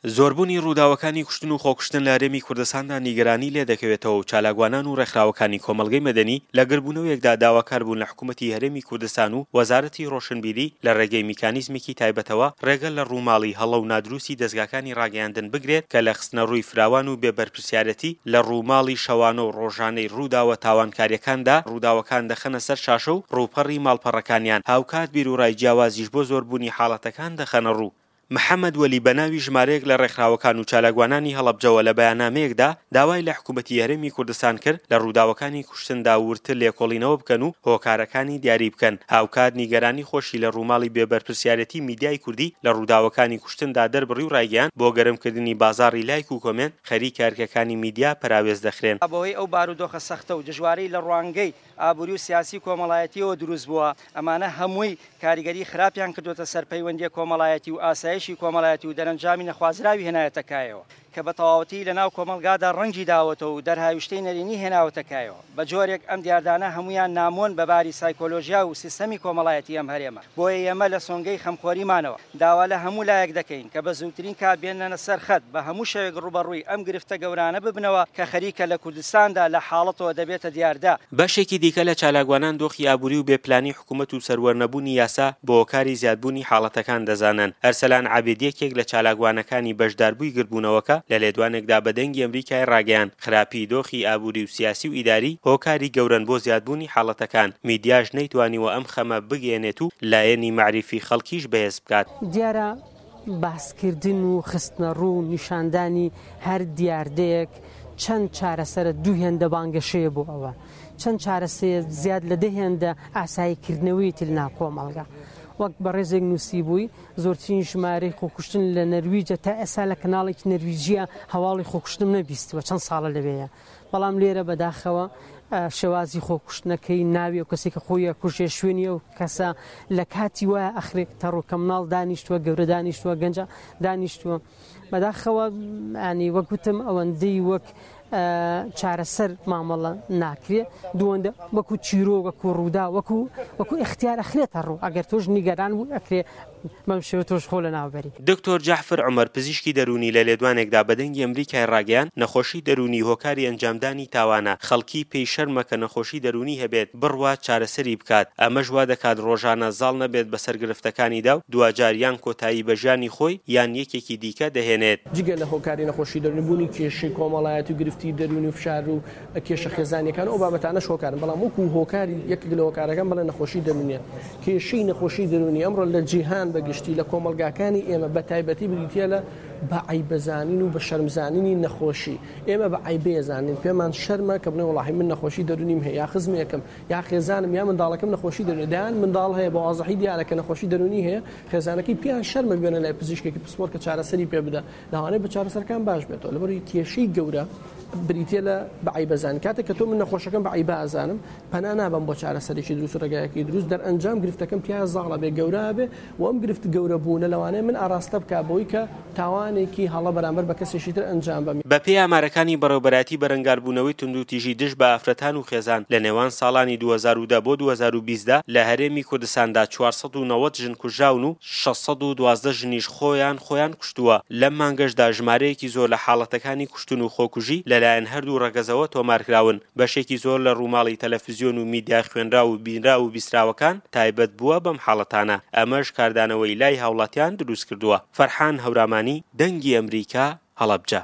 زۆربوونی ڕووداوەکانی کوشتن و خۆکوشتن لە هەرێمی کوردستاندا نیگەرانی لێدەکەوێتەوە و چالاکوانان و ڕێکخراوەکانی کۆمەڵگەی مەدەنی لە گردبوونەوەیەکدا داواکار بوون لە حکوومەتی هەرێمی کوردستان و وەزارەتی ڕۆشنبیری لە ڕێگەی میکانیزمێکی تایبەتەوە ڕێگە لە ڕووماڵی هەڵە و نادروستی دەزگاکانی ڕاگەیاندن بگرێت کە لە خستنەڕووی فراوان و بێ بەرپرسیارەتی لە ڕووماڵی شەوانە و ڕۆژانەی ڕووداوە تاوانکارییەکاندا ڕووداوەکان دەخەنە سەر شاشە و ڕووپەڕی ماڵپەڕەکانیان هاوکات بیروڕای جیاوازیش بۆ زۆربوونی حاڵەتەکان دەخەنەڕوو. محەمەد وەلی بەناوی ژمارەیەک لە ڕێکخراوەکان و چالاکوانانی هەڵەبجەوە لە بەیاننامەیەکدا داوای لە حکومەتی هەرێمی کوردستان کرد لە ڕووداوەکانی کوشتندا وردتر لێکۆڵینەوە بکەن و هۆکارەکانی دیاری بکەن هاوکات نیگەرانی خۆشی لە ڕووماڵی بێ بەرپرسیارێتی میدیای کوردی لە ڕووداوەکانی کوشتندا دەربڕی و ڕایگەیاند بۆ گەرمکردنی بازاڕی لایک و کۆمێنت خەریکە ئەرکەکانی میدیا پەراوێز دەخرێن. بەهۆی ئەو بارودۆخە سەختە و دژوارەی لە ڕوانگەی ئابووری و سیاسی و کۆمەڵایەتییەوە دروست بووە، ئەمانە هەمووی کاریگەری خراپیان کردووەتە سەر پەیوەندییە کۆمەڵایەتی و ئاسایشی کۆمەڵایەتی و دەرەنجامی نەخوازراوی هێنایەتە کایەوە کە بە تەواوەتی لە ناو کۆمەڵگادا ڕەنگی داوەتەوە و دەرهاویشتەی نەرێنی هێناوەتە کایەوە بە جۆرێک ئەم دیاردانە هەموویان نامۆن بە باری سایکۆلۆژیا و سیستەمی کۆمەڵایەتی ئەم هەرێمە بۆیە ئێمە لە سۆنگەی خەمخۆریمانەوە داوا لە هەموو لایەک دەکەین کە بە زووترین کات بێننە سەر خەت بە هەموو شێوەیەک ڕووبەڕووی ئەم گرفتە گەورانە ببنەوە کە خەریکە لە کوردستاندا لە حاڵەتەوە دەبێتە دیاردە. بەشێکی دیکە لە چالاکوانان دۆخی ئابووری و بێ پلانی حکوومەت و سەروەرنەبوونی یاسا بە هۆکاری زیادبوونی حاڵەتەکان دەزانن. ئەرسەلان عابید یەکێک لە چالاکوانەکانی بەشداربووی گردبوونەوەکە لە لێدوانێکدا بە دەنگی ئەمریکای ڕاگەیاند، خراپیی دۆخی ئابووری و سیاسی و ئیداری هۆکاری گەورەن بۆ زیادبوونی حاڵەتەکان، میدیاش نەیتوانیوە ئەم خەمە بگەیەنێت و لایەنی مەعریفی خەڵکیش بەهێز بکات. دیارە باسکردن و خستنەڕوو و نیشاندانی هەر دیاردەیەک چەند چارەسەرە دوو هێندە بانگەشەیە بۆ ئەوە، چەند چارەسەیە زیاد لە دە هێندە ئاساییکردنەوەیەتی لەناو کۆمەڵگا. وەک بەڕێزێک نووسیبووی، زۆرترین ژمارەی خۆکوشتن لە نەرویجە، تا ئێستا لە کەناڵێکی نەرویجییە هەواڵی خۆکوشتنم نەبیستووە، چەند ساڵە لەوێیە، بەڵام لێرە بەداخەوە شێوازی خۆکوشتنەکەی، ناوی ئەو کەسەی کە خۆی ئەکوژێ، شوێنی ئەو کەسە لە کاتی وایە ئەخرێتە ڕوو کە مناڵ دانیشتووە، گەورە دانیشتووە، گەنج دانیشتووە. بەداخەوە ینی وەک وتم ئەوەندەی وەک چارەسەر مامەڵە ناکرێ دووەندە وەکو چیرۆک وەکو ڕوودا وەکو وەکو ئیختیار ئەخرێتە ڕوو ئەگەر تۆش نیگەران بوو ئەکرێ بەم شێوە تۆش خۆ لەناوبەری. دکتۆر جەعفر عومەر پزیشکی دەروونی لە لێدوانێکدا بە دەنگی ئەمریکای ڕاگەیاند، نەخۆشی دەروونی هۆکاری ئەنجامدانی تاوانە، خەڵکی پێی شەرمە کە نەخۆشی دەروونی هەبێت بڕوات چارەسەری بکات، ئەمەش وا دەکات ڕۆژانە زاڵ نەبێت بەسەر گرفتەکانیدا و دواجار یان کۆتایی بە ژیانی خۆی یان یەکێکی دیکە دەهێنێت. جگە لە هۆکاری نەخۆشی دەروونی، بوونی کێشەی کۆمەڵایەتی و گرفتی دەروونی و فشار و کێشە خێزانییەکان و ئەو بابەتانەش هۆکارن، بەڵام وەکو هۆکاری یەکێک لە هۆکارەکان بەڵێ نەخۆشی دەروونییە. کێشەی نەخۆشی دەروونی ئەمڕۆ لە جیهان بە گشتی، لە کۆمەڵگاکانی ئێمە بە تایبەتی بریتییە لە بە عەیبەزانین و بە شەرمزانینی نەخۆشی. ئێمە بە عەیبەیەزانین، پێمان شەرمە کە بڵێین وەڵاهی من نەخۆشی دەروونیم هەیە یا خزمێکم یا خێزانم یا منداڵەکەم نەخۆشی دەروونی دەیان منداڵ هەیە بە وازحی دیارە کە نەخۆشی دەروونی هەیە خێزانەکەی پێیان شەرمە بێنە لای پزیشکێکی پسپۆر کە چارەسەری پێ بدە لەوانەیە بە چارەسەرەکان باش بێتەوە لەبەرئەوەی کێشەی گەورە بریتە لە بە عەیبەزان کاتێک کە تۆ من نەخۆشەکەم بە عەیبە ئەزانم پەنا نابەم بۆ چارەسەرێکی دروست و ڕێگایەکی دروست دەرئەنجام گرفتەکەم تیا زاڵە بێ گەورە بێ و ئەم گرفت گەورە بوونە لەوانەیە من ئاراستە بکا بەوەی کە تاوانێکی هەڵە بەرامبەر بە کەسێکی تر ئەنجام بەم. بەپێی ئامارەکانی بەڕێوبەرایەتی بەرەنگاربوونەوەی توندوتیژی دژ بە ئافرەتان و خێزان لە نێوان ساڵانی 2010 بۆ 2020 دا لە هەرێمی کوردستاندا 490 ژن کوژراون و 612 ژنیش خۆیان خۆیان کوشتووە، لەم مانگەشدا ژمارەیەکی زۆر لە حاڵەتەکانی کوشتن و خۆکوژی لەلایەن هەردوو ڕەگەزەوە تۆمارکراون. بەشێکی زۆر لە ڕووماڵی تەلەفزیۆن و میدیا خوێنراو و بینراو و بیستراوەکان تایبەت بووە بەم حاڵەتانە، ئەمەش کاردانەوەی لای هاوڵاتیان دروستکردووە. فەرحان هەورامانی، دەنگی ئەمریکا، هەڵەبجە.